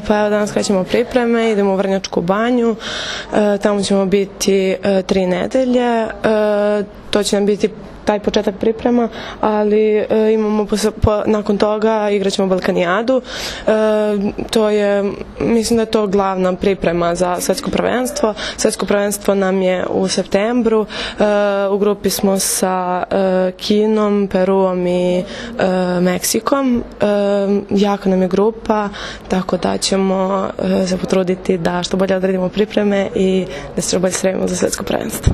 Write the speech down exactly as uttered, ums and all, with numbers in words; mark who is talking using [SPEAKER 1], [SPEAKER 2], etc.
[SPEAKER 1] Pa evo danas krećemo pripreme, idemo u Vrnjačku banju, tamo ćemo biti tri nedelje, to će nam biti taj početak priprema, ali imamo nakon toga igrat ćemo Balkanijadu. To je, mislim da je to glavna priprema za svetsko prvenstvo. Svetsko prvenstvo nam je u septembru, u grupi smo sa Kinom, Peruom i Meksikom. Jaka nam je grupa, tako da ćemo se potruditi da što bolje odradimo pripreme i da se što bolje spremimo za svetsko prvenstvo.